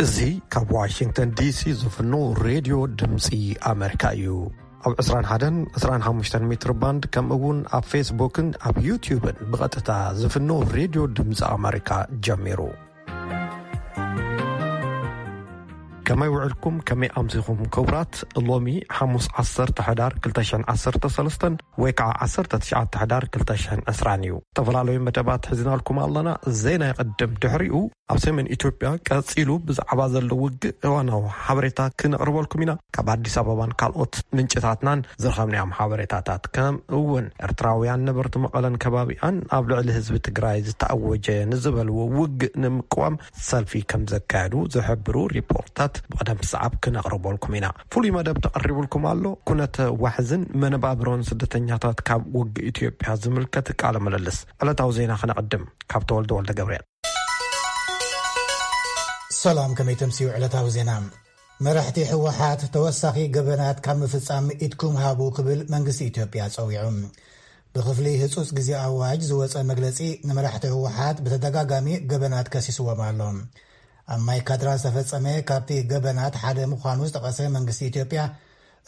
እዚ ካብ ዋሽንግተን ዲሲ ዝፍኖ ሬድዮ ድምፂ ኣመሪካ እዩ። ኣብ ዕስራን ሓደን ዕስራን ሓሙሽተን ሜትር ባንድ፣ ከምኡ እውን ኣብ ፌስቡክን ኣብ ዩቲዩብን ብቐጥታ ዝፍኖ ሬድዮ ድምፂ ኣመሪካ ጀሚሩ። ከመይ ውዕልኩም? ከመይ ኣምሲኹም ክቡራት? ሎሚ ሓሙስ ዓሰርተ ሕዳር ክልተ ሽሕን ዓሰርተ ሰለስተን ወይ ከዓ ዓሰርተ ትሽዓተ ሕዳር ክልተ ሽሕን ዕስራን እዩ። ዝተፈላለዩ መደባት ሒዝናልኩም ኣለና። ዜና ይቕድም፣ ድሕሪኡ ኣብ ሰሜን ኢትዮጵያ ቀጺሉ ብዛዕባ ዘሎ ውግእ እዋናዊ ሓበሬታ ክነቕርበልኩም ኢና። ካብ ኣዲስ ኣበባን ካልኦት ምንጭታትናን ዝረኸብናዮም ሓበሬታታት፣ ከም እውን ኤርትራውያን ነበርቲ መቐለን ከባቢኣን ኣብ ልዕሊ ህዝቢ ትግራይ ዝተኣወጀ ንዝበልዎ ውግእ ንምቅዋም ሰልፊ ከም ዘካየዱ ዝሕብሩ ሪፖርታት ብቕደም ሰዓብ ክነቕርበልኩም ኢና። ፍሉይ መደብ ተቐሪቡልኩም ኣሎ። ኩነተ ዋሕዝን መነባብሮን ስደተኛታት ካብ ውግእ ኢትዮጵያ ዝምልከት ቃለ ምልልስ። ዕለታዊ ዜና ክነቕድም ካብ ተወልደ ወልደ ገብርኤል። ሰላም፣ ከመይ ተምስዩ? ዕለታዊ ዜና። መራሕቲ ህወሓት ተወሳኺ ገበናት ካብ ምፍጻም ኢድኩም ሃቡ ክብል መንግስቲ ኢትዮጵያ ጸዊዑ። ብክፍሊ ህጹጽ ግዜ ኣዋጅ ዝወጸ መግለጺ፣ ንመራሕቲ ህወሓት ብተደጋጋሚ ገበናት ከሲስዎም ኣሎ። ኣብ ማይ ካድራ ዝተፈጸመ ካብቲ ገበናት ሓደ ምዃኑ ዝጠቐሰ መንግስቲ ኢትዮጵያ፣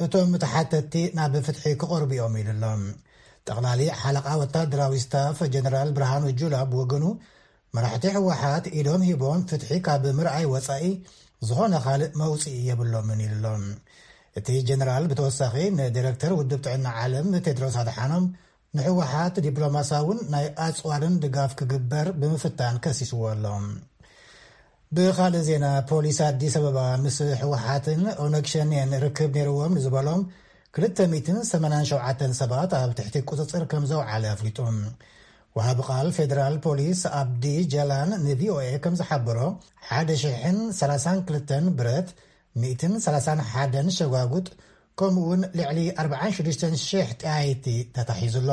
እቶም ተሓተትቲ ናብ ፍትሒ ክቐርቡ እዮም ኢሉ ኣሎ። ጠቕላሊ ሓለቓ ወታደራዊ ስታፍ ጀነራል ብርሃኑ ጁላ ብወገኑ፣ መራሕቲ ህወሓት ኢዶም ሂቦም ፍትሒ ካብ ምርኣይ ወጻኢ ዝኾነ ካልእ መውጽኢ የብሎምን ኢሉ ኣሎ። እቲ ጀነራል ብተወሳኺ ንዲረክተር ውድብ ጥዕና ዓለም ቴድሮስ ኣድሓኖም ንህወሓት ዲፕሎማሳውን ናይ ኣጽዋርን ድጋፍ ክግበር ብምፍታን ከሲስዎ ኣሎ። ብኻልእ ዜና፣ ፖሊስ ኣዲስ ኣበባ ምስ ህወሓትን ኦነግ ሸኔን ርክብ ነይርዎም ንዝበሎም ክልተ ሚእትን ሰማንያን ሸውዓተን ሰባት ኣብ ትሕቲ ቁጽጽር ከም ዘውዓለ ኣፍሊጡ። ወሃቢ ቃል ፌደራል ፖሊስ ኣብዲ ጀላን ንቪኦኤ ከም ዝሓበሮ፣ ሓደ ሽሕን ሰላሳን ክልተን ብረት፣ ሚእትን ሰላሳን ሓደን ሸጓጉጥ፣ ከምኡ እውን ልዕሊ ኣርባዓን ሽዱሽተን ሽሕ ጠያይቲ ተታሒዙ ኣሎ።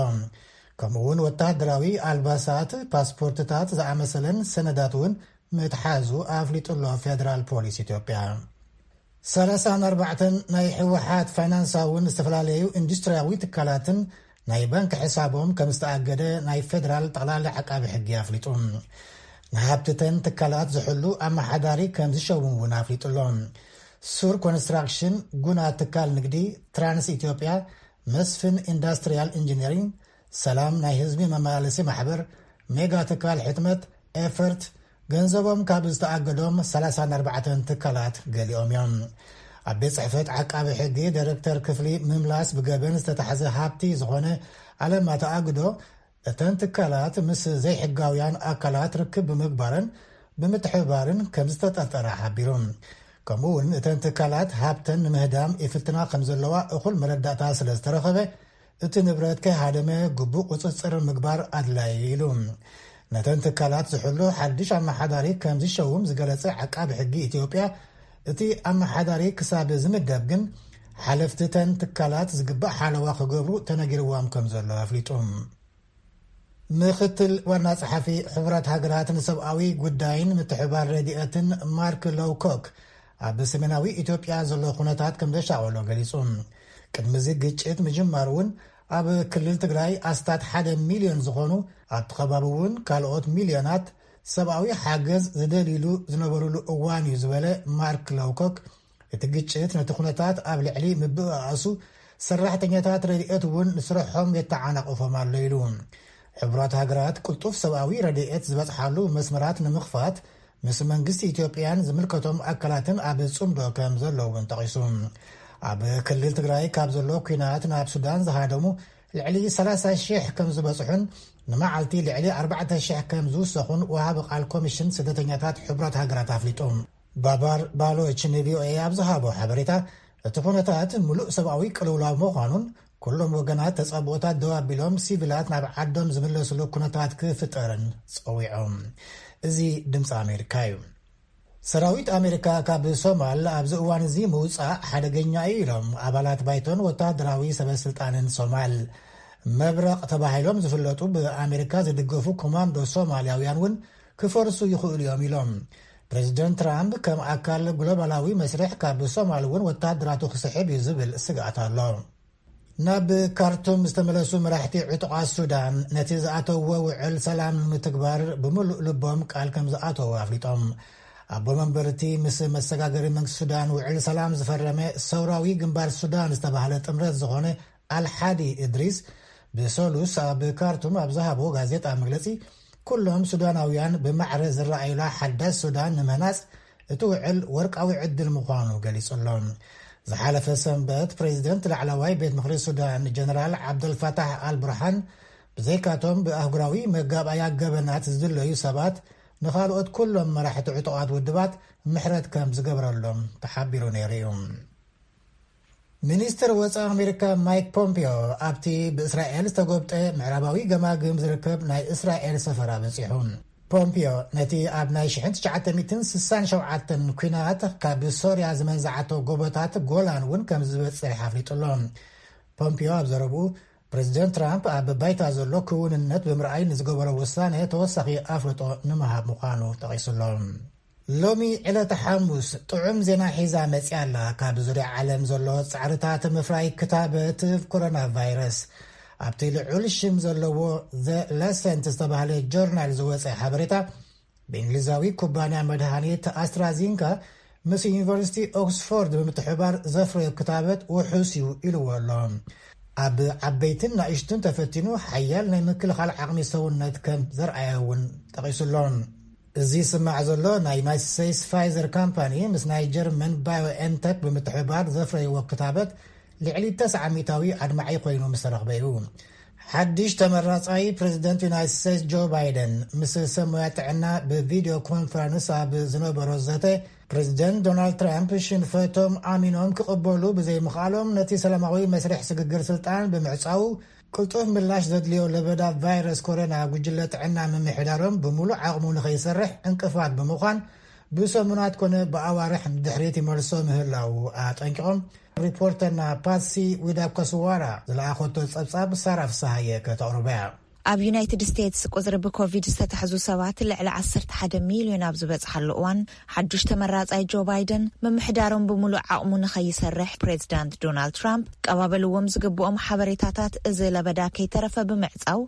ከምኡ እውን ወተሃደራዊ ኣልባሳት፣ ፓስፖርትታት ዝኣመሰለን ሰነዳት እውን ምትሓዙ ኣፍሊጡ ኣሎ ፌደራል ፖሊስ ኢትዮጵያ። ሰላሳን ኣርባዕተን ናይ ህወሓት ፋይናንሳውን ዝተፈላለዩ ኢንዱስትሪያዊ ትካላትን ናይ ባንክ ሕሳቦም ከም ዝተኣገደ ናይ ፌደራል ጠቕላሊ ዓቃቢ ሕጊ ኣፍሊጡ። ንሃብትተን ትካላት ዝሕሉ ኣመሓዳሪ ከም ዝሸሙ እውን ኣፍሊጡ ኣሎ። ሱር ኮንስትራክሽን፣ ጉና ትካል ንግዲ፣ ትራንስ ኢትዮጵያ፣ መስፍን ኢንዳስትሪያል ኢንጂነሪንግ፣ ሰላም ናይ ህዝቢ መመላለሲ ማሕበር፣ ሜጋ ትካል ሕትመት፣ ኤፈርት፣ ገንዘቦም ካብ ዝተኣገዶም ሰላሳን ኣርባዕተን ትካላት ገሊኦም እዮም። ኣብ ቤት ጽሕፈት ዓቃቢ ሕጊ ዳይሬክተር ክፍሊ ምምላስ ብገበን ዝተታሕዘ ሃብቲ ዝኾነ ኣለማ ተኣግዶ፣ እተን ትካላት ምስ ዘይሕጋውያን ኣካላት ርክብ ብምግባረን ብምትሕብባርን ከም ዝተጠርጠራ ሓቢሩ። ከምኡ እውን እተን ትካላት ሃብተን ንምህዳም ይፍትና ከም ዘለዋ እኹል መረዳእታ ስለ ዝተረኸበ፣ እቲ ንብረት ከይሃደመ ግቡእ ቁጽጽር ምግባር ኣድላዪ እዩ ኢሉ። ነተን ትካላት ዝሕሉ ሓድሽ ኣመሓዳሪ ከም ዝሸውም ዝገለጸ ዓቃቢ ሕጊ ኢትዮጵያ፣ እቲ ኣመሓዳሪ ክሳብ ዝምደብ ግን ሓለፍቲ እተን ትካላት ዝግባእ ሓለዋ ክገብሩ ተነጊርዎም ከም ዘሎ ኣፍሊጡ። ምኽትል ዋና ጸሓፊ ሕቡራት ሃገራት ንሰብኣዊ ጉዳይን ምትሕባር ረድኤትን ማርክ ሎውኮክ፣ ኣብ ሰሜናዊ ኢትዮጵያ ዘሎ ኩነታት ከም ዘሻቐሎ ገሊጹ። ቅድሚ እዚ ግጭት ምጅማሩ እውን ኣብ ክልል ትግራይ ኣስታት ሓደ ሚልዮን ዝኾኑ፣ ኣብቲ ከባቢ እውን ካልኦት ሚልዮናት ሰብኣዊ ሓገዝ ዝደልይሉ ዝነበሩሉ እዋን እዩ ዝበለ ማርክ ሎውኮክ፣ እቲ ግጭት ነቲ ኩነታት ኣብ ልዕሊ ምብእኣሱ ሰራሕተኛታት ረድኤት እውን ንስርሖም የተዓናቕፎም ኣሎ ኢሉ። ሕቡራት ሃገራት ቅልጡፍ ሰብኣዊ ረድኤት ዝበጽሓሉ መስመራት ንምኽፋት ምስ መንግስቲ ኢትዮጵያን ዝምልከቶም ኣካላትን ኣብ ጽምዶ ከም ዘለዉ እውን ጠቒሱ። ኣብ ክልል ትግራይ ካብ ዘሎ ኲናት ናብ ሱዳን ዝሃደሙ ልዕሊ ሰላሳ ሽሕ ከም ዝበጽሑን ንመዓልቲ ልዕሊ ኣርባዕተ ሽሕ ከም ዝውሰኹን ወሃቢ ቃል ኮሚሽን ስደተኛታት ሕቡራት ሃገራት ኣፍሊጡ። ባባር ባሎች ንቪኦኤ ኣብ ዝሃቦ ሓበሬታ፣ እቲ ኩነታት ምሉእ ሰብኣዊ ቅልውላው ምዃኑን ኩሎም ወገናት ተጻብኦታት ደው ኣቢሎም ሲቪላት ናብ ዓዶም ዝምለስሉ ኩነታት ክፍጠርን ጸዊዖም። እዚ ድምፂ ኣሜሪካ እዩ። ሰራዊት ኣሜሪካ ካብ ሶማል ኣብዚ እዋን እዚ ምውጻእ ሓደገኛ እዩ ኢሎም ኣባላት ባይቶን ወተሃደራዊ ሰበ ስልጣንን ሶማል። መብረቕ ተባሂሎም ዝፍለጡ ብኣሜሪካ ዝድገፉ ኮማንዶ ሶማልያውያን እውን ክፈርሱ ይኽእሉ እዮም ኢሎም። ፕሬዚደንት ትራምፕ ከም ኣካል ግሎባላዊ መስርሕ ካብ ሶማል እውን ወተሃደራቱ ክስሕብ እዩ ዝብል ስግኣት ኣሎ። ናብ ካርቱም ዝተመለሱ መራሕቲ ዕጡቓት ሱዳን ነቲ ዝኣተውዎ ውዕል ሰላም ንምትግባር ብምሉእ ልቦም ቃል ከም ዝኣተዉ ኣፍሊጦም። ኣቦ መንበርቲ ምስ መሰጋገሪ መንግስቲ ሱዳን ውዕል ሰላም ዝፈረመ ሰውራዊ ግንባር ሱዳን ዝተባህለ ጥምረት ዝኾነ ኣልሓዲ እድሪስ ብሰሉስ ኣብ ካርቱም ኣብ ዝሃቦ ጋዜጣ መግለጺ፣ ኩሎም ሱዳናውያን ብማዕረ ዝረኣዩላ ሓዳስ ሱዳን ንምህናጽ እቲ ውዕል ወርቃዊ ዕድል ምዃኑ ገሊጹ ኣሎ። ዝሓለፈ ሰንበት ፕሬዚደንት ላዕለዋይ ቤት ምኽሪ ሱዳን ጀነራል ዓብደልፋታሕ ኣልቡርሃን ብዘይካቶም ብኣህጉራዊ መጋባእያ ገበናት ዝድለዩ ሰባት ንኻልኦት ኩሎም መራሕቲ ዕጡቓት ውድባት ምሕረት ከም ዝገብረሎም ተሓቢሩ ነይሩ እዩ። ሚኒስትር ወፃኢ ኣሜሪካ ማይክ ፖምፒዮ ኣብቲ ብእስራኤል ዝተጎብጠ ምዕራባዊ ገማግም ዝርከብ ናይ እስራኤል ሰፈራ በፂሑ። ፖምፒዮ ነቲ ኣብ ናይ ሽሕን ትሽዓተ ሚእትን ስሳን ሸውዓተን ኲናት ካብ ሶርያ ዝመንዝዓቶ ጎቦታት ጎላን እውን ከም ዝበፅሕ ኣፍሊጡ ኣሎ። ፖምፒዮ ኣብ ዘረብኡ ፕሬዚደንት ትራምፕ ኣብ ባይታ ዘሎ ክውንነት ብምርኣይ ንዝገበሮ ውሳነ ተወሳኺ ኣፍልጦ ንምሃብ ምዃኑ ጠቒሱ ኣሎ። ሎሚ ዕለተ ሓሙስ ጥዑም ዜና ሒዛ መጺኣ ኣላ። ካብ ዙርያ ዓለም ዘሎ ጻዕርታት ምፍራይ ክታበት ኮሮና ቫይረስ ኣብቲ ልዑል ሽም ዘለዎ ዘ ላንሰንት ዝተባህለ ጆርናል ዝወጸ ሓበሬታ፣ ብእንግሊዛዊ ኩባንያ መድሃኒት ኣስትራዚንካ ምስ ዩኒቨርሲቲ ኦክስፎርድ ብምትሕባር ዘፍረዮ ክታበት ውሑስ እዩ ኢልዎ ኣሎ። ኣብ ዓበይትን ናእሽቱን ተፈቲኑ ሓያል ናይ ምክልኻል ዓቕሚ ሰውነት ከም ዘርኣየ እውን ጠቒሱ ኣሎ። እዚ ዝስማዕ ዘሎ ናይ ዩናይትድ ስቴትስ ፋይዘር ካምፓኒ ምስ ናይ ጀርመን ባዮኤንተክ ብምትሕብባር ዘፍረይዎ ክታበት ልዕሊ ተስዓ ሚእታዊ ኣድማዒ ኮይኑ ምስ ተረኽበ እዩ። ሓድሽ ተመራጻይ ፕሬዚደንት ዩናይትድ ስቴትስ ጆ ባይደን ምስ ሰብ ሞያ ጥዕና ብቪድዮ ኮንፈረንስ ኣብ ዝነበሮ ዘተ፣ ፕሬዚደንት ዶናልድ ትራምፕ ሽንፈቶም ኣሚኖም ክቕበሉ ብዘይምኽኣሎም ነቲ ሰላማዊ መስርሕ ስግግር ስልጣን ብምዕጻው ቅልጡፍ ምላሽ ዘድልዮ ለበዳ ቫይረስ ኮሮና ጉጅለ ጥዕና ምምሕዳሮም ብምሉእ ዓቕሙ ንኸይሰርሕ ዕንቅፋት ብምዃን ብሰሙናት ኮነ ብኣዋርሕ ንድሕሪት ይመልሶ ምህላዉ ኣጠንቂቖም። ሪፖርተርና ፓትሲ ዊዳኮስዋራ ዝለኣኸቶ ጸብጻብ ሳራ ፍስሃየ ከተቕርቦ እያ። ኣብ ዩናይትድ ስቴትስ ቁጽሪ ብኮቪድ ዝተታሕዙ ሰባት ልዕሊ ዓሰርተ ሓደ ሚልዮን ኣብ ዝበጽሓሉ እዋን፣ ሓዱሽ ተመራጻይ ጆ ባይደን ምምሕዳሮም ብምሉእ ዓቕሙ ንኸይሰርሕ ፕሬዚዳንት ዶናልድ ትራምፕ ቀባበልዎም ዝግብኦም ሓበሬታታት እዚ ለበዳ ከይተረፈ ብምዕጻው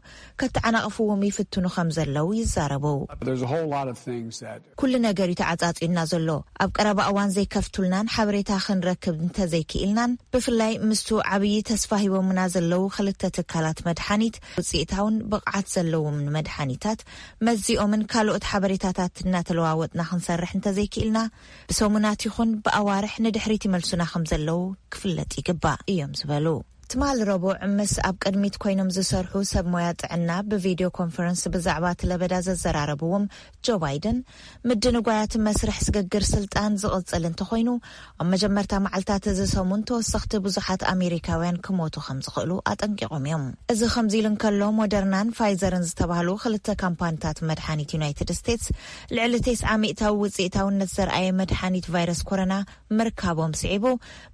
ከተዓናቕፍዎም ይፍትኑ ከም ዘለዉ ይዛረቡ። There's a whole lot of things that ኩሉ ነገር እዩ ተዓጻጺዩና ዘሎ። ኣብ ቀረባ እዋን ዘይከፍቱልናን ሓበሬታ ክንረክብ እንተዘይክኢልናን፣ ብፍላይ ምስቱ ዓብዪ ተስፋ ሂቦምና ዘለዉ ክልተ ትካላት መድሓኒት፣ ውጽኢታውን ብቕዓት ዘለዎም ንመድሓኒታት መዚኦምን ካልኦት ሓበሬታታት እናተለዋወጥና ክንሰርሕ እንተዘይክኢልና፣ ብሰሙናት ይኹን ብኣዋርሕ ንድሕሪት ይመልሱና ከም ዘለዉ ክፍለጥ ይግባእ እዮም ዝበሉ። ትማሊ ረቡዕ ምስ ኣብ ቅድሚት ኮይኖም ዝሰርሑ ሰብ ሞያ ጥዕና ብቪድዮ ኮንፈረንስ ብዛዕባ እቲ ለበዳ ዘዘራረብዎም ጆ ባይደን፣ ምድንጓያት መስርሕ ስግግር ስልጣን ዝቕጽል እንተኾይኑ፣ ኣብ መጀመርታ መዓልታት እዚ ሰሙን ተወሰኽቲ ብዙሓት ኣሜሪካውያን ክሞቱ ከም ዝኽእሉ ኣጠንቂቖም እዮም። እዚ ከምዚ ኢሉ እንከሎ፣ ሞደርናን ፋይዘርን ዝተባህሉ ክልተ ካምፓኒታት መድሓኒት ዩናይትድ ስቴትስ፣ ልዕሊ ተስዓ ሚእታዊ ውጽኢታውነት ዘርኣየ መድሓኒት ቫይረስ ኮሮና ምርካቦም ስዒቡ፣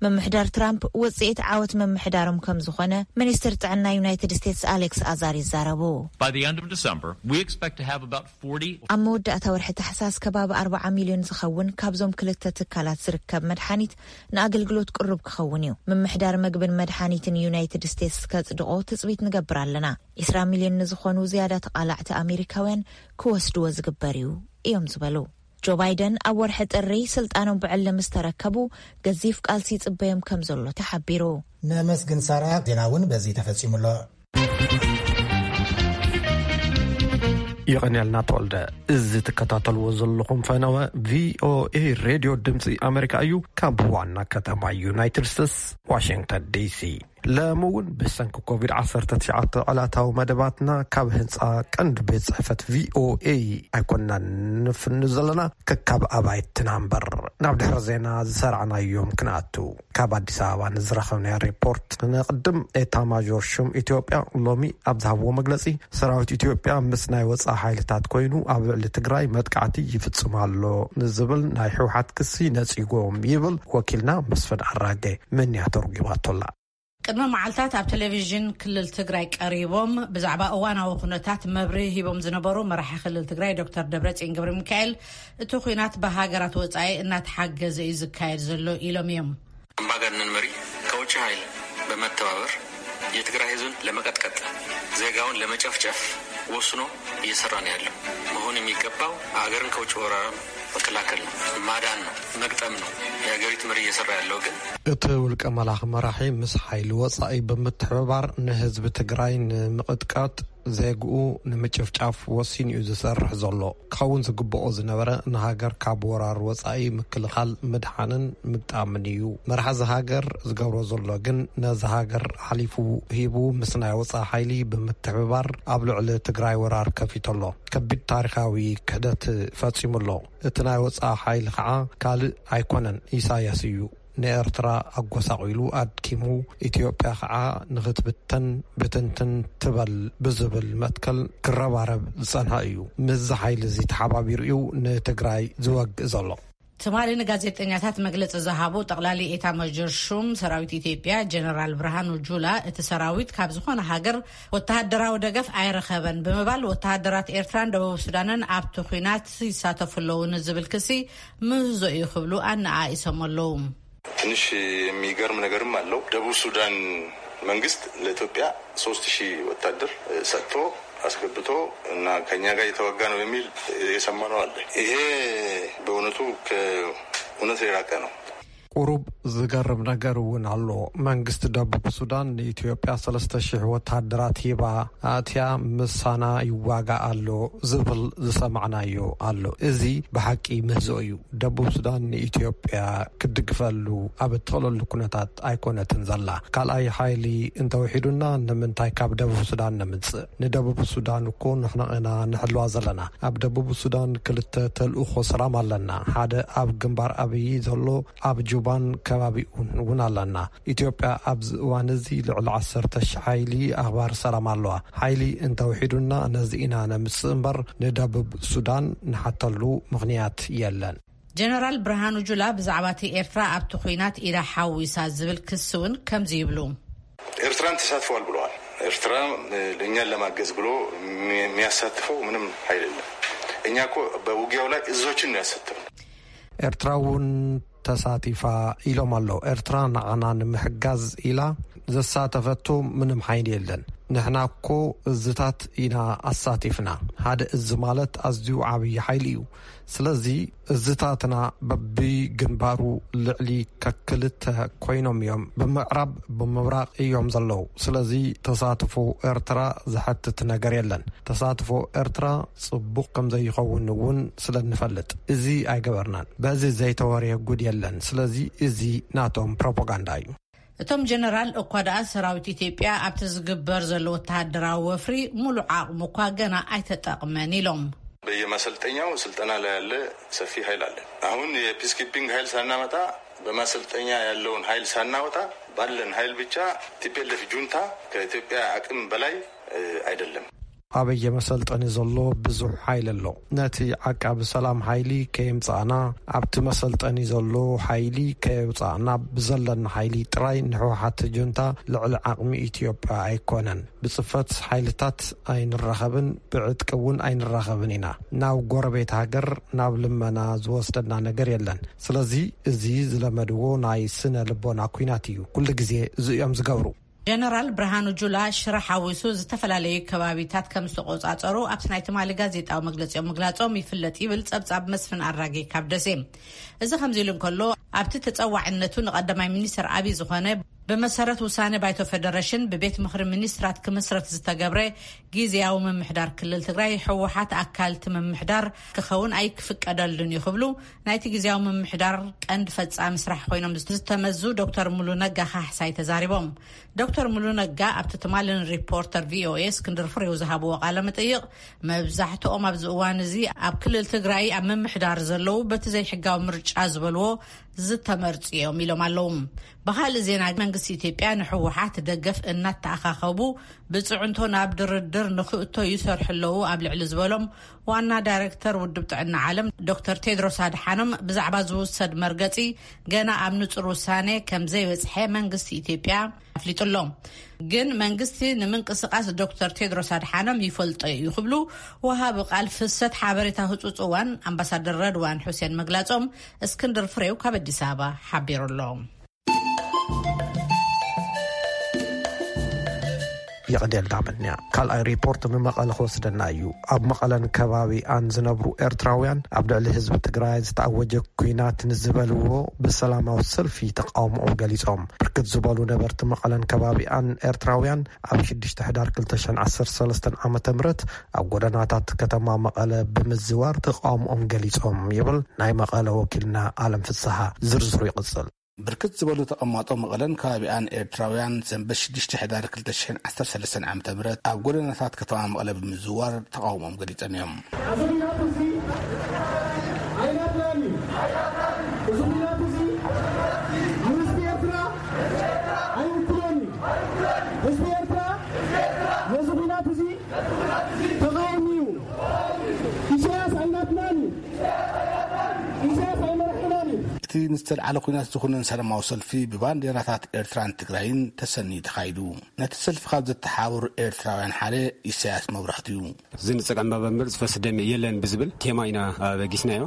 ምምሕዳር ትራምፕ ውጽኢት ዓወት ምምሕዳሮም ከም ዝኾነ ሚኒስትር ጥዕና ዩናይትድ ስቴትስ ኣሌክስ ኣዛር ይዛረቡ። By the end of December, we expect to have about forty ኣብ መወዳእታ ወርሒ ታሕሳስ ከባቢ ኣርባዓ ሚልዮን ዝኸውን ካብዞም ክልተ ትካላት ዝርከብ መድሓኒት ንኣገልግሎት ቅሩብ ክኸውን እዩ። ምምሕዳር መግብን መድሓኒትን ዩናይትድ ስቴትስ ከጽድቖ ትጽቢት ንገብር ኣለና። ዕስራ ሚልዮን ንዝኾኑ ዝያዳ ተቓላዕቲ ኣሜሪካውያን ክወስድዎ ዝግበር እዩ እዮም ዝበሉ። ጆ ባይደን ኣብ ወርሒ ጥሪ ስልጣኖም ብዕሊ ምስ ተረከቡ፣ ገዚፍ ቃልሲ ይጽበዮም ከም ዘሎ ተሓቢሩ። ነመስግን ሳራ። ዜና እውን በዚ ተፈጺሙ ኣሎ። የቐንየልና ተወልደ። እዚ ትከታተልዎ ዘለኹም ፈነወ ቪኦኤ ሬድዮ ድምፂ ኣሜሪካ እዩ፣ ካብ ዋና ከተማ ዩናይትድ ስቴትስ ዋሽንግተን ዲሲ። ለሚ እውን ብሰንኪ ኮቪድ ዓሰርተ ትሽዓተ ዕለታዊ መደባትና ካብ ህንፃ ቀንዲ ቤት ጽሕፈት ቪኦኤ ኣይኮንናን ንፍኑ ዘለና፣ ከካብ ኣባይትና እምበር። ናብ ድሕሪ ዜና ዝሰራዕናዮም ክንኣቱ። ካብ ኣዲስ ኣበባ ንዝረኸብናዮ ሪፖርት ንቕድም። ኤታ ማዦር ሹም ኢትዮጵያ ሎሚ ኣብ ዝሃብዎ መግለጺ፣ ሰራዊት ኢትዮጵያ ምስ ናይ ወጻኢ ሓይልታት ኮይኑ ኣብ ልዕሊ ትግራይ መጥቃዕቲ ይፍጽም ኣሎ ንዝብል ናይ ህወሓት ክሲ ነጺጎም ይብል ወኪልና መስፍን ኣራጌ። ምንያ ተርጒማቶላ። ቅድሚ መዓልታት ኣብ ቴሌቪዥን ክልል ትግራይ ቀሪቦም ብዛዕባ እዋናዊ ኩነታት መብርሂ ሂቦም ዝነበሩ መራሒ ክልል ትግራይ ዶክተር ደብረጽዮን ገብረ ሚካኤል፣ እቲ ኲናት ብሃገራት ወጻኢ እናተሓገዘ እዩ ዝካየድ ዘሎ ኢሎም እዮም። ኣምባገነን መሪ ከውጭ ኃይል በመተባበር የትግራይ ህዝብን ለመቀጥቀጥ፣ ዜጋውን ለመጨፍጨፍ ወስኖ እየሰራ ነው ያለው። መሆን የሚገባው አገርን ከውጭ ወራር መከላከል ነው፣ ማዳን ነው፣ መግጠም ነው። የሀገሪቱ መሪ እየሰራ ያለው ግን እቲ ውልቀ መላኺ መራሒ ምስ ሓይሊ ወጻኢ ብምትሕብባር ንህዝቢ ትግራይ ንምቕጥቃጥ፣ ዜግኡ ንምጭፍጫፍ ወሲኑ እዩ ዝሰርሕ ዘሎ። ክኸውን ዝግብኦ ዝነበረ ንሃገር ካብ ወራር ወጻኢ ምክልኻል፣ ምድሓንን ምግጣምን እዩ። መራሒ እዚ ሃገር ዝገብሮ ዘሎ ግን ነዚ ሃገር ሓሊፉ ሂቡ ምስ ናይ ወጻኢ ሓይሊ ብምትሕብባር ኣብ ልዕሊ ትግራይ ወራር ከፊቱ ኣሎ። ከቢድ ታሪኻዊ ክሕደት ፈጺሙ ኣሎ። እቲ ናይ ወጻኢ ሓይሊ ከዓ ካልእ ኣይኮነን፣ ኢሳያስ እዩ። ንኤርትራ ኣጎሳቒሉ ኣድኪሙ፣ ኢትዮጵያ ከዓ ንኽትብተን ብትንትን ትበል ብዝብል መትከል ክረባረብ ዝጸንሐ እዩ። ምስዚ ሓይሊ እዚ ተሓባቢሩ እዩ ንትግራይ ዝወግእ ዘሎ። ትማሊ ንጋዜጠኛታት መግለጺ ዝሃቡ ጠቕላሊ ኤታ መጀር ሹም ሰራዊት ኢትዮጵያ ጀነራል ብርሃኑ ጁላ፣ እቲ ሰራዊት ካብ ዝኾነ ሃገር ወተሃደራዊ ደገፍ ኣይረኸበን ብምባል፣ ወተሃደራት ኤርትራን ደቡብ ሱዳንን ኣብቲ ኲናት ይሳተፉ ኣለዉ ንዝብል ክሲ ምህዞ እዩ ክብሉ ኣነኣኢሶም ኣለዉ። ትንሽ የሚገርም ነገርም አለው። ደቡብ ሱዳን መንግስት ለኢትዮጵያ ሶስት ሺህ ወታደር ሰጥቶ አስገብቶ እና ከኛ ጋር እየተዋጋ ነው የሚል የሰማነው አለ። ይሄ በእውነቱ ከእውነት የራቀ ነው። ቁሩብ ዝገርም ነገር እውን ኣሎ። መንግስቲ ደቡብ ሱዳን ንኢትዮጵያ ሰለስተ ሺሕ ወታደራት ሂባ ኣትያ ምሳና ይዋጋ ኣሎ ዝብል ዝሰማዕናዮ ኣሎ። እዚ ብሓቂ ምህዞ እዩ። ደቡብ ሱዳን ንኢትዮጵያ ክትድግፈሉ ኣብ እትኽእለሉ ኩነታት ኣይኮነትን ዘላ። ካልኣይ ሓይሊ እንተውሒዱና ንምንታይ ካብ ደቡብ ሱዳን ነምጽእ? ንደቡብ ሱዳን እኮ ንሕና ኢና ንሕልዋ ዘለና። ኣብ ደቡብ ሱዳን ክልተ ተልእኾ ሰላም ኣለና። ሓደ ኣብ ግንባር ኣብይ ዘሎ ኣብ ጁባን ከባቢኡን እውን ኣለና። ኢትዮጵያ ኣብዚ እዋን እዚ ልዕሊ ዓሰርተ ሺሕ ሓይሊ ኣኽባር ሰላም ኣለዋ። ሓይሊ እንተውሒዱና ነዚ ኢና ነምጽእ እምበር ንደቡብ ሱዳን ንሓተሉ ምኽንያት የለን። ጀነራል ብርሃኑ ጁላ ብዛዕባ እቲ ኤርትራ ኣብቲ ኲናት ኢዳ ሓዊሳ ዝብል ክሲ እውን ከምዚ ይብሉ። ኤርትራን ተሳትፈዋል ብለዋል። ኤርትራ እኛን ለማገዝ ብሎ የሚያሳትፈው ምንም ኃይል የለም። እኛ እኮ በውጊያው ላይ እዞችን ነው ያሳተፍነው። ኤርትራ እውን ተሳቲፋ ኢሎም ኣለዉ። ኤርትራ ንዓና ንምሕጋዝ ኢላ ዘሳተፈቶ ምንም ሓይሊ የለን። ንሕና እኮ እዝታት ኢና ኣሳቲፍና። ሓደ እዚ ማለት ኣዝዩ ዓብዪ ሓይሊ እዩ። ስለዚ እዝታትና በብግንባሩ ልዕሊ ከክልተ ኮይኖም እዮም። ብምዕራብ ብምብራቕ እዮም ዘለዉ። ስለዚ ተሳትፎ ኤርትራ ዝሐትት ነገር የለን። ተሳትፎ ኤርትራ ጽቡቕ ከም ዘይኸውን እውን ስለ እንፈልጥ እዚ ኣይገበርናን። በዚ ዘይተወርየ ጉድ የለን። ስለዚ እዚ ናቶም ፕሮፓጋንዳ እዩ። እቶም ጀነራል እኳ ደኣ ሰራዊት ኢትዮጵያ ኣብቲ ዝግበር ዘሎ ወተሃደራዊ ወፍሪ ሙሉእ ዓቕሙ እኳ ገና ኣይተጠቕመን ኢሎም። በየማሰልጠኛው ስልጠና ላይ ያለ ሰፊ ኃይል አለ። አሁን የፒስኪፒንግ ኃይል ሳናመጣ፣ በማሰልጠኛ ያለውን ኃይል ሳናወጣ፣ ባለን ኃይል ብቻ ቲፒኤልኤፍ ጁንታ ከኢትዮጵያ አቅም በላይ አይደለም። ኣበየ መሰልጠኒ ዘሎ ብዙሕ ሓይሊ ኣሎ። ነቲ ዓቃቢ ሰላም ሓይሊ ከየምጻእና፣ ኣብቲ መሰልጠኒ ዘሎ ሓይሊ ከየውጻእና፣ ብዘለና ሓይሊ ጥራይ ንሕወሓት ጁንታ ልዕሊ ዓቕሚ ኢትዮጵያ ኣይኮነን። ብጽፈት ሓይልታት ኣይንራኸብን፣ ብዕጥቂ እውን ኣይንራኸብን ኢና። ናብ ጎረቤት ሃገር ናብ ልመና ዝወስደና ነገር የለን። ስለዚ እዚ ዝለመድዎ ናይ ስነ ልቦና ኲናት እዩ። ኩሉ ግዜ እዚ እዮም ዝገብሩ። ጀነራል ብርሃኑ ጁላ ሽረ ሓዊሱ ዝተፈላለዩ ከባቢታት ከም ዝተቆጻጸሩ ኣብቲ ናይ ትማሊ ጋዜጣዊ መግለጺኦም ምግላጾም ይፍለጥ ይብል ጸብጻብ መስፍን ኣራጌ ካብ ደሴ። እዚ ከምዚ ኢሉ እንከሎ፣ ኣብቲ ተጸዋዕነቱ ንቀዳማይ ሚኒስትር ኣብይ ዝኾነ ብመሰረት ውሳነ ባይቶ ፌደሬሽን ብቤት ምኽሪ ሚኒስትራት ክምስረት ዝተገብረ ግዝያዊ ምምሕዳር ክልል ትግራይ፣ ህወሓት ኣካል እቲ ምምሕዳር ክኸውን ኣይክፍቀደሉን እዩ ክብሉ ናይቲ ግዝያዊ ምምሕዳር ቀንዲ ፈጻሚ ስራሕ ኮይኖም ዝተመዙ ዶክተር ሙሉ ነጋ ካሕሳይ ተዛሪቦም። ዶክተር ሙሉ ነጋ ኣብቲ ትማሊ ንሪፖርተር ቪኦኤ እስክንድር ፍሬው ዝሃብዎ ቃለ መጠይቕ፣ መብዛሕትኦም ኣብዚ እዋን እዚ ኣብ ክልል ትግራይ ኣብ ምምሕዳር ዘለዉ በቲ ዘይሕጋዊ ምርጫ ዝበልዎ ዝተመርጹ እዮም ኢሎም ኣለዉ። ብኻልእ ዜና፣ መንግስቲ ኢትዮጵያ ንህወሓት ደገፍ እናተኣኻኸቡ ብጽዕንቶ ናብ ድርድር ንኽእቶ ይሰርሑ ኣለዉ ኣብ ልዕሊ ዝበሎም ዋና ዳይሬክተር ውድብ ጥዕና ዓለም ዶክተር ቴድሮስ ኣድሓኖም ብዛዕባ ዝውሰድ መርገጺ ገና ኣብ ንጹር ውሳኔ ከም ዘይበጽሐ መንግስቲ ኢትዮጵያ ኣፍሊጡ ኣሎ። ግን መንግስቲ ንምንቅስቃስ ዶክተር ቴድሮስ ኣድሓኖም ይፈልጦ እዩ ክብሉ ወሃቢ ቃል ፍሰት ሓበሬታ ህጹጽ እዋን ኣምባሳደር ረድዋን ሑሴን ምግላጾም እስክንድር ፍሬው ካብ ኣዲስ ኣበባ ሓቢሩ ኣሎ። የቐንየልና። ካልኣይ ሪፖርት ንመቐለ ክወስደና እዩ። ኣብ መቐለን ከባቢኣን ዝነብሩ ኤርትራውያን ኣብ ልዕሊ ህዝቢ ትግራይ ዝተኣወጀ ኲናት ንዝበልዎ ብሰላማዊ ሰልፊ ተቃውሞኦም ገሊጾም። ብርክት ዝበሉ ነበርቲ መቐለን ከባቢኣን ኤርትራውያን ኣብ ሽዱሽተ ሕዳር ክልተ ሽሕን ዓሰርተ ሰለስተን ዓመተ ምህረት ኣብ ጎደናታት ከተማ መቐለ ብምዝዋር ተቃውሞኦም ገሊጾም ይብል ናይ መቐለ ወኪልና ኣለም ፍስሓ። ዝርዝሩ ይቕጽል። ብርክት ዝበሉ ተቐማጦ መቐለን ከባቢኣን ኤርትራውያን ሰንበት ሽዱሽተ ሕዳር ክልተ ሽሕን ዓሰርተ ሰለስተን ዓመተ ምህረት ኣብ ጎደናታት ከተማ መቐለ ብምዝዋር ተቃውሞኦም ገሊጾም እዮም። እዚ ኲናት እዚ ኣይናትናን እዩ። እዚ ኲናት እዚ ንህዝቢ ኤርትራ ኣይውክሎን እዩ። ህዝቢ ኤርትራ ነዚ ኲናት እዚ ተቃዋሚ እዩ። ኢሳያስ ኣይናትናን እዩ። ኢሳያስ ኣይመርሐናን እዩ። እቲ ንዝተልዓለ ኲናት ዝኹንን ሰላማዊ ሰልፊ ብባንዴራታት ኤርትራን ትግራይን ተሰንዩ ተኻይዱ። ነቲ ሰልፊ ካብ ዘተሓባበሩ ኤርትራውያን ሓደ ኢሳያስ መብራህቱ እዩ። ዝንጸግ ዕምባባ እምበር ዝፈስስ ደም የለን ብዝብል ቴማ ኢና ኣበጊስናዮ።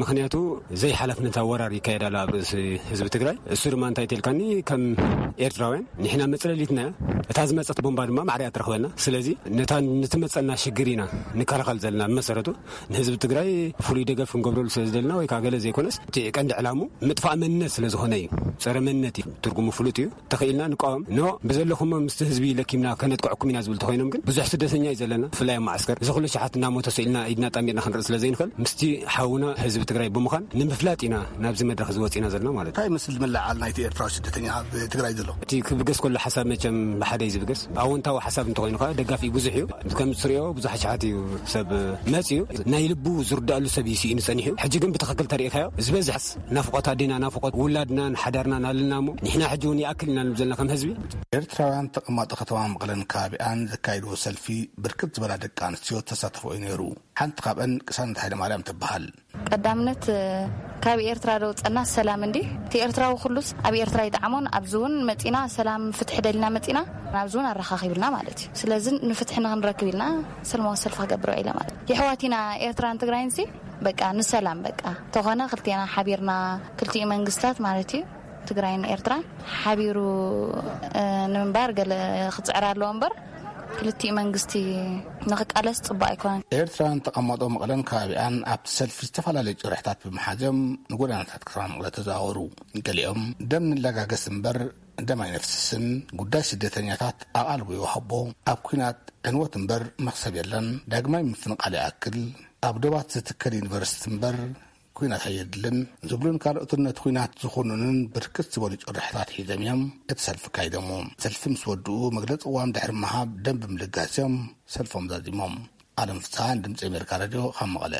ምኽንያቱ ዘይሓላፍነት ወራር ይካየድ ኣሎ ኣብ ርእሲ ህዝቢ ትግራይ። እሱ ድማ እንታይ ተልካኒ፣ ከም ኤርትራውያን ንሕና መጽለሊትና እያ። እታ ዝመጸት ቦምባ ድማ ማዕረ እያ ትረኽበና። ስለዚ ነታ ንትመጸና ሽግር ኢና ንከላኸል ዘለና። ብመሰረቱ ንህዝቢ ትግራይ ፍሉይ ደገፍ ክንገብረሉ ስለ ዝደልና ወይ ከዓ ገለ ዘይኮነስ፣ እቲ ቀንዲ ዕላሙ ምጥፋእ መንነት ስለ ዝኾነ እዩ። ጸረ መንነት እዩ፣ ትርጉሙ ፍሉጥ እዩ። ተኽኢልና ንቃወም። ኖ፣ ብዘለኹሞ ምስቲ ህዝቢ ለኪምና ከነጥቅዐኩም ኢና ዝብል ተኾይኖም ግን፣ ብዙሕ ስደተኛ እዩ ዘለና፣ ብፍላይ ኣብ ማዓስከር። እዚ ኩሉ ሸሓት እናሞተ ስኢልና ኢድና ጣሚርና ክንርኢ ስለ ዘይንኽእል፣ ምስቲ ሓውና ህዝቢ ትግራይ ብምዃን ንምፍላጥ ኢና ናብዚ መድረኽ እዚ ወፂና ዘለና ማለት እዩ። እንታይ ይመስል ምልዓል ናይቲ ኤርትራዊ ስደተኛ ኣብ ትግራይ ዘሎ? እቲ ክብገስ ከሎ ሓሳብ መቸም ብሓደ እዩ ዝብገስ። ኣወንታዊ ሓሳብ እንተኾይኑ ከዓ ደጋፊ ብዙሕ እዩ። ከም ትሪኦ ብዙሕ ሸሓት እዩ ሰብ መፂኡ። ናይ ልቡ ዝርዳእሉ ሰብ እዩ ስኢኑ ጸኒሑ። ሕጂ ግን ብትኽክል ተሪእካዮ ዝበዝሕ ናፍቆት ኣዴና፣ ናፍቆት ውላድናን ሓዳርናን ኣለና እሞ፣ ንሕና ሕጂ እውን ይኣክል ኢና ንብል ዘለና ከም ህዝቢ። ኤርትራውያን ተቐማጦ ከተማ መቐለን ከባቢኣን ዘካይድዎ ሰልፊ ብርክት ዝበላ ደቂ ኣንስትዮ ተሳተፎ እዩ ነይሩ። ሓንቲ ካብአን ቅሳነት ሃይለማርያም ትበሃል። ቀዳምነት፣ እ፣ ካብ ኤርትራ ደውጸና ሰላም እንዲ። እቲ ኤርትራዊ ኩሉስ ኣብ ኤርትራ ይጠዓሞን፣ ኣብዚ እውን መጺና ሰላም ፍትሒ ደሊና መጺና፣ ኣብዚ እውን ኣረኻኺብልና ማለት እዩ። ስለዚ ንፍትሒ ንኽንረክብ ኢልና ሰላማዊ ሰልፊ ክገብር ኢለ ማለት እዩ። የሕዋት ኢና ኤርትራን ትግራይን ሲ በቃ ንሰላም በቃ ተኾነ ክልቴና ሓቢርና ክልቲኡ መንግስታት ማለት እዩ ትግራይን ኤርትራን ሓቢሩ፣ እ፣ ንምንባር ገለ ክጽዕር ኣለዎ እምበር ክልቲኡ መንግስቲ ንኽቃለስ ጽቡቅ ኣይኮነን። ኤርትራን ተቐማጦ መቐለን ከባቢኣን ኣብቲ ሰልፊ ዝተፈላለዩ ጭርሕታት ብምሓዝዮም ንጎደናታት ከተማ መቐለ ተዘዋወሩ። ገሊኦም ደም ንለጋገስ እምበር ደም ኣይነፍስስን፣ ጉዳይ ስደተኛታት ኣቓልቦ ይወሃቦ፣ ኣብ ኲናት ዕንወት እምበር መኽሰብ የለን፣ ዳግማይ ምፍንቓል ይኣክል፣ ኣብ ዶባት ዝትከል ዩኒቨርሲቲ እምበር ኲናት ኣየድልን ዝብሉን ካልኦትን ነቲ ኲናት ዝኹንኑን ብርክት ዝበሉ ጭርሕታት ሒዞም እዮም እቲ ሰልፊ ኣካይዶሞ። ሰልፊ ምስ ወድኡ መግለጺ ቅዋም ድሕሪ ምሃብ ደም ብምልጋስ እዮም ሰልፎም ዛዚሞም። ኣለም ፍስሃ፣ ድምጺ ኣሜሪካ ሬድዮ፣ ካብ መቐለ።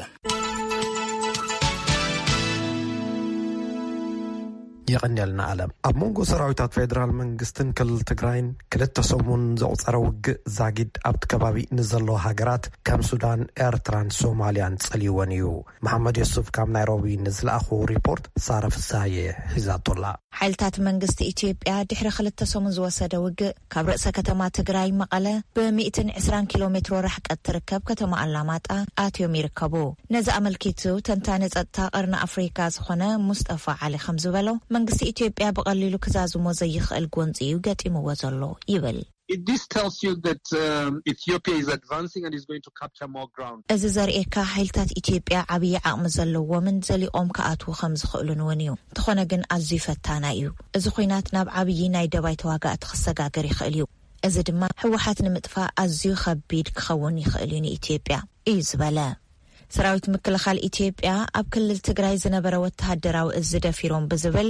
የቐንየልና ኣለም። ኣብ መንጎ ሰራዊታት ፌደራል መንግስትን ክልል ትግራይን ክልተ ሰሙን ዘቑጸረ ውግእ ዛጊድ ኣብቲ ከባቢ ንዘለዋ ሃገራት ከም ሱዳን፣ ኤርትራን ሶማልያን ጸልይወን እዩ። መሓመድ የሱፍ ካብ ናይሮቢ ንዝለኣኹ ሪፖርት ሳረ ፍሳየ ሒዛቶላ። ሓይልታት መንግስቲ ኢትዮጵያ ድሕሪ ክልተ ሰሙን ዝወሰደ ውግእ ካብ ርእሰ ከተማ ትግራይ መቐለ ብ ሚእትን ዕስራን ኪሎ ሜትሮ ርሕቀት ትርከብ ከተማ ኣላማጣ ኣትዮም ይርከቡ። ነዚ ኣመልኪቱ ተንታኒ ጸጥታ ቀርኒ ኣፍሪካ ዝኾነ ሙስጠፋ ዓሊ ከም ዝበሎ፣ መንግስቲ ኢትዮጵያ ብቐሊሉ ክዛዝሞ ዘይኽእል ጎንጺ እዩ ገጢምዎ ዘሎ ይብል። It, this tells you that um, Ethiopia is advancing and is going to capture more ground. እዚ ዘርእየካ ሓይልታት ኢትዮጵያ ዓብዪ ዓቕሚ ዘለዎምን ዘሊቖም ክኣትዉ ከም ዝኽእሉን እውን እዩ። እንተኾነ ግን ኣዝዩ ፈታናይ እዩ። እዚ ኲናት ናብ ዓብዪ ናይ ደባይ ተዋጋእቲ ክሰጋገር ይኽእል እዩ። እዚ ድማ ህወሓት ንምጥፋእ ኣዝዩ ከቢድ ክኸውን ይኽእል እዩ ንኢትዮጵያ፣ እዩ ዝበለ። ሰራዊት ምክልኻል ኢትዮጵያ ኣብ ክልል ትግራይ ዝነበረ ወተሃደራዊ እዚ ደፊሮም ብዝብል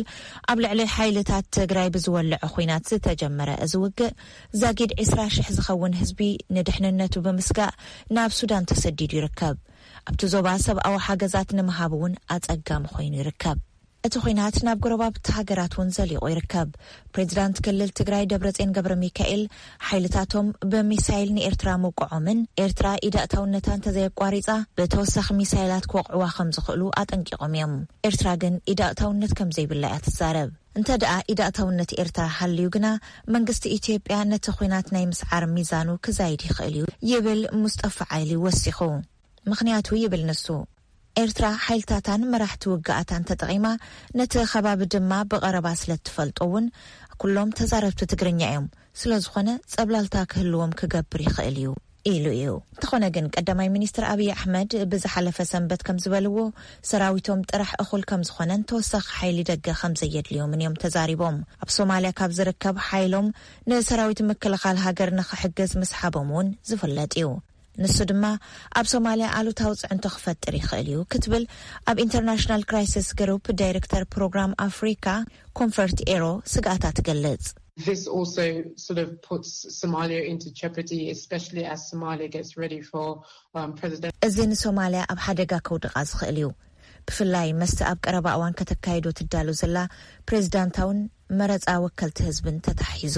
ኣብ ልዕሊ ሓይልታት ትግራይ ብዝወለዐ ኹናት ዝተጀመረ እዚ ውግእ ዛጊድ ዕስራ ሽሕ ዝኸውን ህዝቢ ንድሕንነቱ ብምስጋእ ናብ ሱዳን ተሰዲዱ ይርከብ። ኣብቲ ዞባ ሰብኣዊ ሓገዛት ንምሃብ እውን ኣጸጋሚ ኮይኑ ይርከብ። እቲ ኹናት ናብ ጎረባብቲ ሃገራት እውን ዘሊቑ ይርከብ። ፕሬዚዳንት ክልል ትግራይ ደብረጽዮን ገብረ ሚካኤል ሓይልታቶም ብሚሳይል ንኤርትራ ምውቅዖምን ኤርትራ ኢዳእታውነታ እንተዘየቋሪጻ ብተወሳኺ ሚሳይላት ክወቕዕዋ ከም ዝኽእሉ ኣጠንቂቖም እዮም። ኤርትራ ግን ኢዳእታውነት ከም ዘይብላ እያ ትዛረብ። እንተ ደኣ ኢዳእታውነት ኤርትራ ሃልዩ ግና መንግስቲ ኢትዮጵያ ነቲ ኹናት ናይ ምስዓር ሚዛኑ ክዛይድ ይኽእል እዩ ይብል ሙስጠፋ ዓይሊ ወሲኹ። ምኽንያቱ ይብል ንሱ፣ ኤርትራ ሓይልታታን መራሕቲ ውግኣታን ተጠቒማ፣ ነቲ ከባቢ ድማ ብቐረባ ስለ እትፈልጦ እውን፣ ኩሎም ተዛረብቲ ትግርኛ እዮም። ስለ ዝኾነ፣ ጸብላልታ ክህልዎም ክገብር ይኽእል እዩ ኢሉ እዩ። እንተኾነ ግን፣ ቀዳማይ ሚኒስትር ኣብይ ኣሕመድ ብዝሓለፈ ሰንበት ከም ዝበልዎ፣ ሰራዊቶም ጥራሕ እኹል ከም ዝኾነን ተወሳኺ ሓይሊ ደገ ከም ዘየድልዮምን እዮም ተዛሪቦም። ኣብ ሶማልያ ካብ ዝርከብ ሓይሎም ንሰራዊት ምክልኻል ሃገር ንኽሕግዝ ምስሓቦም እውን ዝፍለጥ እዩ። ንሱ ድማ ኣብ ሶማልያ ኣሉታዊ ጽዕንቶ ክፈጥር ይኽእል እዩ ክትብል ኣብ ኢንተርናሽናል ክራይሲስ ግሩፕ ዳይሬክተር ፕሮግራም ኣፍሪካ ኮንፈርት ኤሮ ስግኣታ ትገልጽ። This also sort of puts Somalia into jeopardy, especially as Somalia gets ready for um, president. እዚ ንሶማልያ ኣብ ሓደጋ ከውድቓ ዝኽእል እዩ። ብፍላይ መስቲ ኣብ ቀረባ እዋን ከተካይዶ ትዳሎ ዘላ ፕሬዚዳንታውን መረፃ ወከልቲ ህዝብን ተታሒዙ።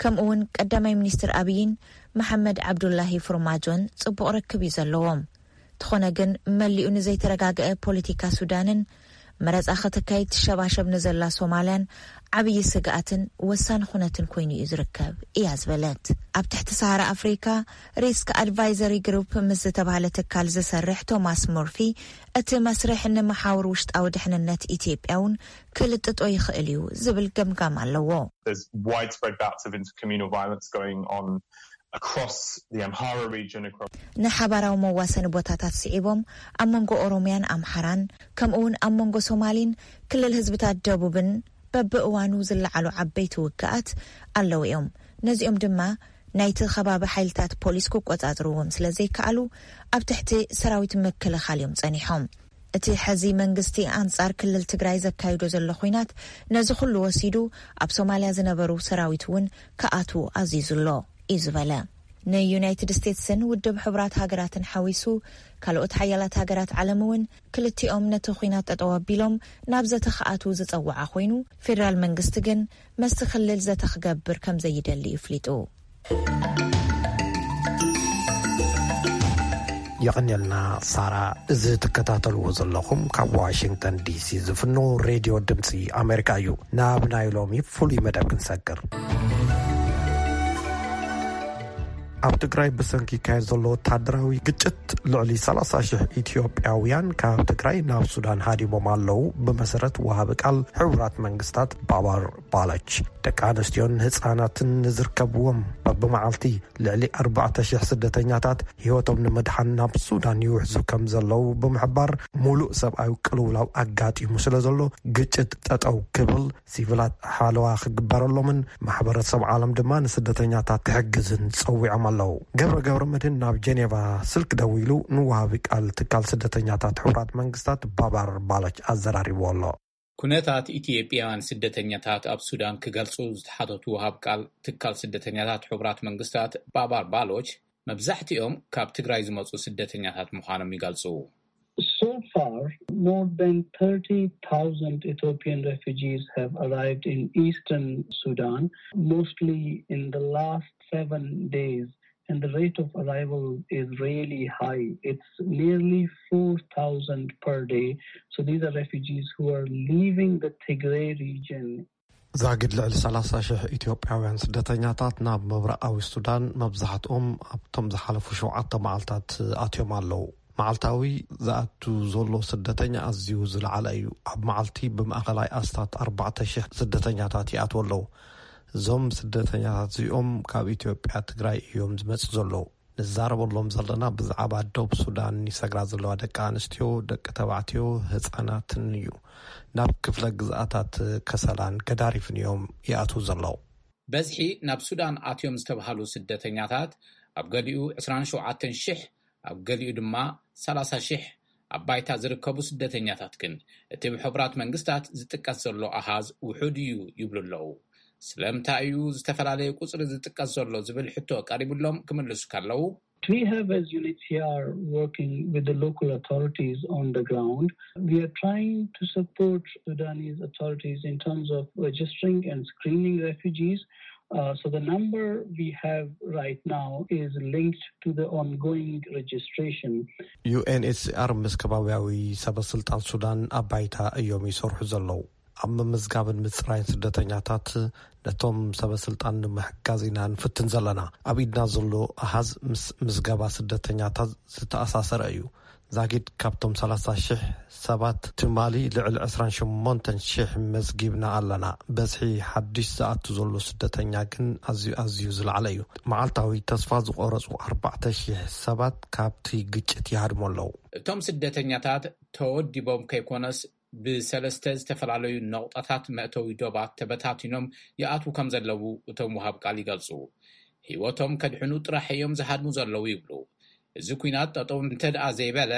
ከምኡ እውን ቀዳማይ ሚኒስትር ኣብይን መሓመድ ዓብዱላሂ ፎርማጆን ጽቡቕ ርክብ እዩ ዘለዎም። እንተኾነ ግን፣ መሊኡ ንዘይተረጋግአ ፖለቲካ ሱዳንን መረጻ ከተካይድ ትሸባሸብ ንዘላ ሶማልያን ዓብዪ ስግኣትን ወሳኒ ኩነትን ኮይኑ እዩ ዝርከብ እያ ዝበለት። ኣብ ትሕቲ ሰሃራ ኣፍሪካ ሪስክ ኣድቫይዘሪ ግሩፕ ምስ ዝተባህለ ትካል ዝሰርሕ ቶማስ ሞርፊ፣ እቲ መስርሕ ንመሓውር ውሽጣዊ ድሕንነት ኢትዮጵያ እውን ክልጥጦ ይኽእል እዩ ዝብል ገምጋም ኣለዎ። There's widespread bouts of intercommunal violence going on across the Amhara region, across ንሓባራዊ መዋሰኒ ቦታታት ስዒቦም፣ ኣብ መንጎ ኦሮምያን ኣምሓራን፣ ከምኡ እውን ኣብ መንጎ ሶማሊን ክልል ህዝብታት ደቡብን በብእዋኑ ዝለዓሉ ዓበይቲ ውግኣት ኣለዉ እዮም። ነዚኦም ድማ ናይቲ ከባቢ ሓይልታት ፖሊስ ክቆጻጽርዎም ስለ ዘይከኣሉ፣ ኣብ ትሕቲ ሰራዊት ምክልኻል እዮም ጸኒሖም። እቲ ሕዚ መንግስቲ ኣንጻር ክልል ትግራይ ዘካይዶ ዘሎ ኹናት፣ ነዚ ኩሉ ወሲዱ፣ ኣብ ሶማልያ ዝነበሩ ሰራዊት እውን ክኣትዉ ኣዚዙ ኣሎ እዩ ዝበለ። ንዩናይትድ ስቴትስን ውድብ ሕቡራት ሃገራትን ሓዊሱ፣ ካልኦት ሓያላት ሃገራት ዓለም እውን ክልቲኦም ነቲ ኹናት ጠጠው ኣቢሎም ናብ ዘተ ክኣትዉ ዝጸውዓ ኮይኑ፣ ፌደራል መንግስቲ ግን መስቲ ክልል ዘተ ክገብር ከም ዘይደሊ እዩ ፍሊጡ። የቐንየልና ሳራ። እዚ ትከታተልዎ ዘለኹም ካብ ዋሽንግተን ዲሲ ዝፍኖ ሬድዮ ድምፂ ኣሜሪካ እዩ። ናብ ናይ ሎሚ ፍሉይ መደብ ክንሰግር፣ ኣብ ትግራይ ብሰንኪ ይካየድ ዘሎ ወታደራዊ ግጭት ልዕሊ ሰላሳ ሽሕ ኢትዮጵያውያን ካብ ትግራይ ናብ ሱዳን ሃዲሞም ኣለዉ። ብመሰረት ወሃቢ ቃል ሕቡራት መንግስታት ባባር ባለች፣ ደቂ ኣንስትዮን ህፃናትን ንዝርከብዎም በብመዓልቲ ልዕሊ ኣርባዕተ ሽሕ ስደተኛታት ህይወቶም ንምድሓን ናብ ሱዳን ይውሕዙ ከም ዘለዉ ብምሕባር፣ ሙሉእ ሰብኣዊ ቅልውላው ኣጋጢሙ ስለ ዘሎ ግጭት ጠጠው ክብል፣ ሲቪላት ሓለዋ ክግበረሎምን ማሕበረሰብ ዓለም ድማ ንስደተኛታት ክሕግዝን ጸዊዖም ኣለዉ። ገብረ ገብረ መድህን ናብ ጀኔቫ ስልክ ደዊሉ ንወሃቢ ቃል ትካል ስደተኛታት ሕቡራት መንግስታት ባባር ባለች ኣዘራሪብዎ ኣሎ። ኩነታት ኢትዮጵያውያን ስደተኛታት ኣብ ሱዳን ክገልጹ ዝተሓተቱ ወሃብ ቃል ትካል ስደተኛታት ሕቡራት መንግስታት ባባር ባሎች፣ መብዛሕትኦም ካብ ትግራይ ዝመጹ ስደተኛታት ምዃኖም ይገልጹ። So far, more than thirty thousand Ethiopian refugees have arrived in eastern Sudan, mostly in the last seven days. And the rate of arrival is really high. It's nearly four thousand per day. So these are refugees who are leaving the Tigray region. ዛጊድ ልዕሊ ሰላሳ ሽሕ ኢትዮጵያውያን ስደተኛታት ናብ ምብራቓዊ ሱዳን፣ መብዛሕትኦም ኣብቶም ዝሓለፉ ሸውዓተ መዓልታት ኣትዮም ኣለዉ። መዓልታዊ ዝኣቱ ዘሎ ስደተኛ ኣዝዩ ዝለዓለ እዩ። ኣብ መዓልቲ ብማእኸላይ ኣስታት ኣርባዕተ ሽሕ ስደተኛታት ይኣትዉ ኣለዉ። እዞም ስደተኛታት እዚኦም ካብ ኢትዮጵያ ትግራይ እዮም ዝመጹ ዘለዉ። ንዛረበሎም ዘለና ብዛዕባ ዶብ ሱዳን ይሰግራ ዘለዋ ደቂ ኣንስትዮ፣ ደቂ ተባዕትዮ፣ ህጻናትን እዩ። ናብ ክፍለ ግዝኣታት ከሰላን ገዳሪፍን እዮም ይኣትዉ ዘለዉ። በዝሒ ናብ ሱዳን ኣትዮም ዝተባህሉ ስደተኛታት ኣብ ገሊኡ ዕስራን ሸውዓተን ሽሕ፣ ኣብ ገሊኡ ድማ ሰላሳ ሽሕ ኣብ ባይታ ዝርከቡ ስደተኛታት ግን እቲ ብሕቡራት መንግስታት ዝጥቀስ ዘሎ ኣሃዝ ውሑድ እዩ ይብሉ ኣለዉ። ስለምንታይ እዩ ዝተፈላለየ ቁጽሪ ዝጥቀስ ዘሎ ዝብል ሕቶ ቀሪብሎም ክምልሱ ከለዉ፣ We have, as U N H C R, working with the local authorities on the ground. We are trying to support Sudanese authorities in terms of registering and screening refugees. Uh, so the number we have right now is linked to the ongoing registration. ዩ ኤን ኤች ሲ ኣር ምስ ከባቢያዊ ሰበስልጣን ሱዳን ኣብ ባይታ እዮም ይሰርሑ ዘለዉ። ኣብ ምምዝጋብን ምፅራይን ስደተኛታት ነቶም ሰበስልጣን ንምሕጋዝ ኢና ንፍትን ዘለና። ኣብ ኢድና ዘሎ ኣሃዝ ምስ ምዝገባ ስደተኛታት ዝተኣሳሰረ እዩ። ዛጊድ ካብቶም ሰላሳ ሺሕ ሰባት ትማሊ ልዕሊ ዕስራን ሸሞንተን ሺሕ መዝጊብና ኣለና። በዝሒ ሓድሽ ዝኣቱ ዘሎ ስደተኛ ግን ኣዝዩ ኣዝዩ ዝለዓለ እዩ። መዓልታዊ ተስፋ ዝቆረጹ ኣርባዕተ ሺሕ ሰባት ካብቲ ግጭት ይሃድሙ ኣለዉ። እቶም ስደተኛታት ተወዲቦም ከይኮነስ ብሰለስተ ዝተፈላለዩ ነቑጣታት መእተዊ ዶባት ተበታቲኖም ይኣትዉ ከም ዘለዉ እቶም ወሃብ ቃል ይገልጹ። ህይወቶም ከድሕኑ ጥራሕ እዮም ዝሃድሙ ዘለዉ ይብሉ። እዚ ኲናት ጠጠው እንተ ደኣ ዘይበለ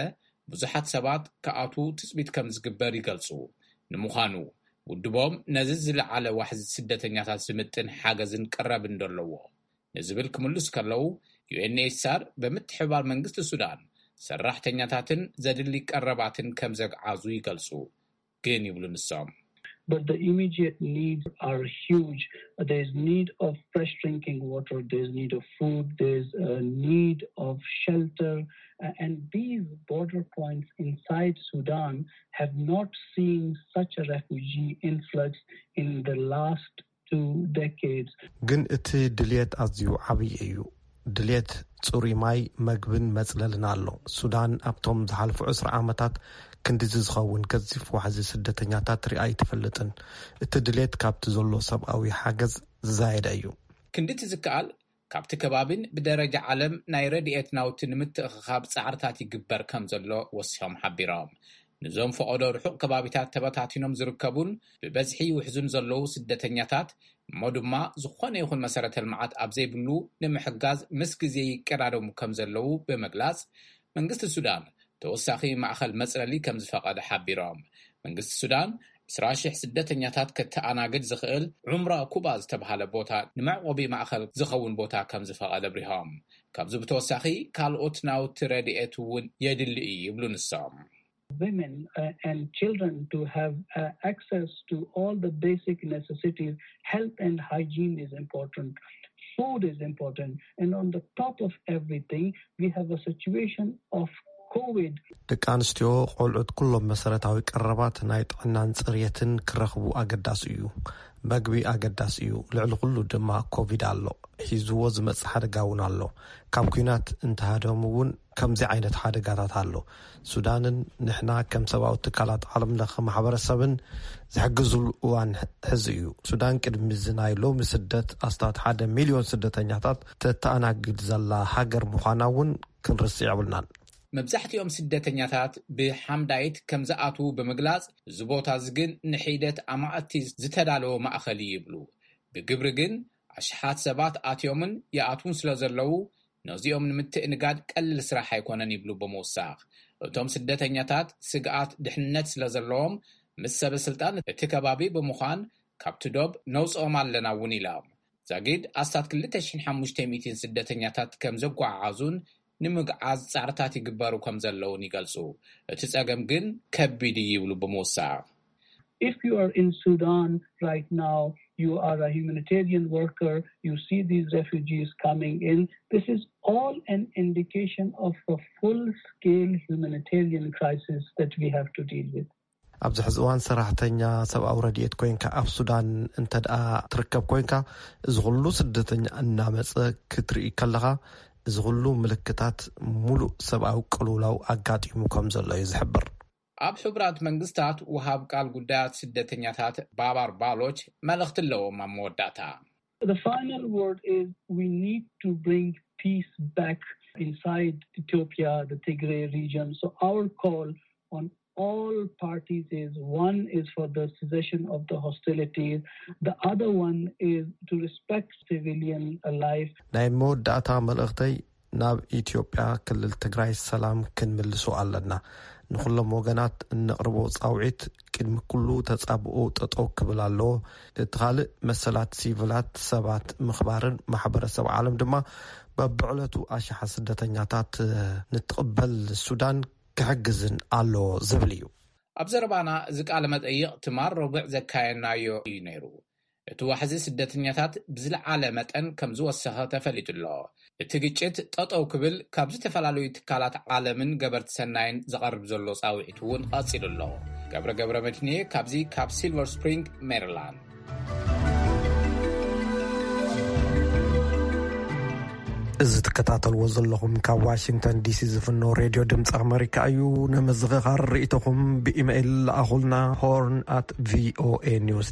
ብዙሓት ሰባት ክኣትዉ ትጽቢት ከም ዝግበር ይገልጹ። ንምዃኑ ውድቦም ነዚ ዝለዓለ ዋሕዚ ስደተኛታት ዝምጥን ሓገዝን ቀረብ እንደለዎ ንዝብል ክምልስ ከለዉ፣ ዩ ኤን ኤች ሲ ኣር ብምትሕብባር መንግስቲ ሱዳን ሰራሕተኛታትን ዘድሊ ቀረባትን ከም ዘግዓዙ ይገልጹ። ግን ይብሉ ንሶም። But the immediate needs are huge. There's need of fresh drinking water, there's need of food, there's a need of shelter. Uh, and these border points inside Sudan have not seen such a refugee influx in the last two decades. ግን እቲ ድልየት ኣዝዩ ዓብዪ እዩ። ድልየት ጽሩይ ማይ፣ መግብን መጽለልን ኣሎ። ሱዳን ኣብቶም ዝሓልፉ ዕስራ ዓመታት ክንድዚ ዝኸውን ገዚፍ ዋሕዚ ስደተኛታት ሪኣ ኣይትፈልጥን። እቲ ድልየት ካብቲ ዘሎ ሰብኣዊ ሓገዝ ዝዛየደ እዩ። ክንድቲ ዝከኣል ካብቲ ከባቢን ብደረጃ ዓለም ናይ ረድኤት ናውቲ ንምትእኽኻብ ጻዕርታት ይግበር ከም ዘሎ ወሲኾም ሓቢሮም። ንዞም ፈቐዶ ርሑቕ ከባቢታት ተበታቲኖም ዝርከቡን ብበዝሒ ውሕዙን ዘለዉ ስደተኛታት እሞ ድማ ዝኾነ ይኹን መሰረተ ልምዓት ኣብ ዘይብሉ ንምሕጋዝ ምስ ግዜ ይቀዳደሙ ከም ዘለዉ ብምግላጽ፣ መንግስቲ ሱዳን ተወሳኺ ማእኸል መጽለሊ ከም ዝፈቐደ ሓቢሮም። መንግስቲ ሱዳን ዕስራ ሺሕ ስደተኛታት ከተኣናግድ ዝኽእል ዑምራ ኩባ ዝተብሃለ ቦታ ንመዕቆቢ ማእኸል ዝኸውን ቦታ ከም ዝፈቐደ ኣብሪሆም። ካብዚ ብተወሳኺ ካልኦት ናውቲ ረድኤት እውን የድሊ እዩ ይብሉ ንሶም። Women uh, and children to have uh, access to all the basic necessities. Health and hygiene is important. Food is important. And on the top of everything, we have a situation of COVID. ደቂ ኣንስትዮ፣ ቆልዑት፣ ኩሎም መሰረታዊ ቀረባት ናይ ጥዕናን ጽርየትን ክረኽቡ ኣገዳሲ እዩ። መግቢ ኣገዳሲ እዩ። ልዕሊ ኩሉ ድማ ኮቪድ ኣሎ። ሒዝዎ ዝመጽእ ሓደጋ እውን ኣሎ። ካብ ኲናት እንተሃደሙ እውን ከምዚ ዓይነት ሓደጋታት ኣሎ። ሱዳንን ንሕና ከም ሰብኣዊ ትካላት ዓለም ለኸ ማሕበረሰብን ዝሕግዝሉ እዋን ሕዚ እዩ። ሱዳን ቅድሚ እዚ ናይ ሎሚ ስደት ኣስታት ሓደ ሚልዮን ስደተኛታት ተተኣናግድ ዘላ ሃገር ምዃና እውን ክንርስዕ የብልናን። መብዛሕትኦም ስደተኛታት ብሓምዳይት ከም ዝኣትዉ ብምግላጽ፣ እዚ ቦታ እዚ ግን ንሒደት ኣማእቲ ዝተዳለወ ማእኸል እዩ ይብሉ። ብግብሪ ግን ኣሽሓት ሰባት ኣትዮምን ይኣትዉን ስለ ዘለዉ፣ ነዚኦም ንምትእንጋድ ቀሊል ስራሕ ኣይኮነን ይብሉ ብምውሳኽ። እቶም ስደተኛታት ስግኣት ድሕንነት ስለ ዘለዎም፣ ምስ ሰበ ስልጣን እቲ ከባቢ ብምዃን ካብቲ ዶብ ነውፅኦም ኣለና እውን ኢሎም። ዛጊድ ኣስታት ክልተ ሽሕን ሓሙሽተ ሚእትን ስደተኛታት ከም ዘጓዓዓዙን ንምግዓዝ ጻዕርታት ይግበሩ ከም ዘለውን ይገልጹ። እቲ ጸገም ግን ከቢድ እዩ ይብሉ ብምውሳኽ። If you are in Sudan right now, you are a humanitarian worker, you see these refugees coming in, this is all an indication of a full-scale humanitarian crisis that we have to deal with. ኣብዚ ሕዚ እዋን ሰራሕተኛ ሰብኣዊ ረድኤት ኮይንካ ኣብ ሱዳን እንተ ደኣ ትርከብ ኮይንካ፣ እዚ ኩሉ ስደተኛ እናመጸ ክትርኢ ከለኻ፣ እዚ ኩሉ ምልክታት ሙሉእ ሰብኣዊ ቅልውላው ኣጋጢሙ ከም ዘሎ እዩ ዝሕብር። ኣብ ሕቡራት መንግስታት ወሃብ ቃል ጉዳያት ስደተኛታት ባባር ባሎች መልእኽቲ ኣለዎም ኣብ መወዳእታ። The final word is we need to bring peace back inside Ethiopia, the Tigray region. So our call on all parties is, one is for the cessation of the hostilities, the other one is to respect civilian life. ናይ መወዳእታ መልእኽተይ ናብ ኢትዮጵያ ክልል ትግራይ ሰላም ክንምልሶ ኣለና። ንኹሎም ወገናት እነቕርቦ ጻውዒት ቅድሚ ኩሉ ተጻብኦ ጠጠው ክብል ኣለዎ። እቲ ካልእ መሰላት ሲቪላት ሰባት ምኽባርን ማሕበረሰብ ዓለም ድማ በብዕለቱ ኣሽሓት ስደተኛታት ንትቕበል ሱዳን ክሕግዝን ኣለዎ ዝብል እዩ። ኣብ ዘረባና እዚ ቃለ መጠይቕ ትማል ረቡዕ ዘካየናዮ እዩ ነይሩ። እቲ ዋሕዚ ስደተኛታት ብዝለዓለ መጠን ከም ዝወሰኸ ተፈሊጡ ኣሎ። እቲ ግጭት ጠጠው ክብል ካብ ዝተፈላለዩ ትካላት ዓለምን ገበርቲ ሰናይን ዝቐርብ ዘሎ ጻውዒት እውን ቀጺሉ ኣሎ። ገብረ ገብረ መድህንየ ካብዚ ካብ ሲልቨር ስፕሪንግ ሜሪላንድ። እዚ ትከታተልዎ ዘለኹም ካብ ዋሽንግተን ዲሲ ዝፍኖ ሬድዮ ድምፂ ኣመሪካ እዩ። ንምዝኽኻር ርእይቶኹም ብኢሜይል ለኣኹልና፣ ሆርን ኣት ቪኦኤ ኒውስ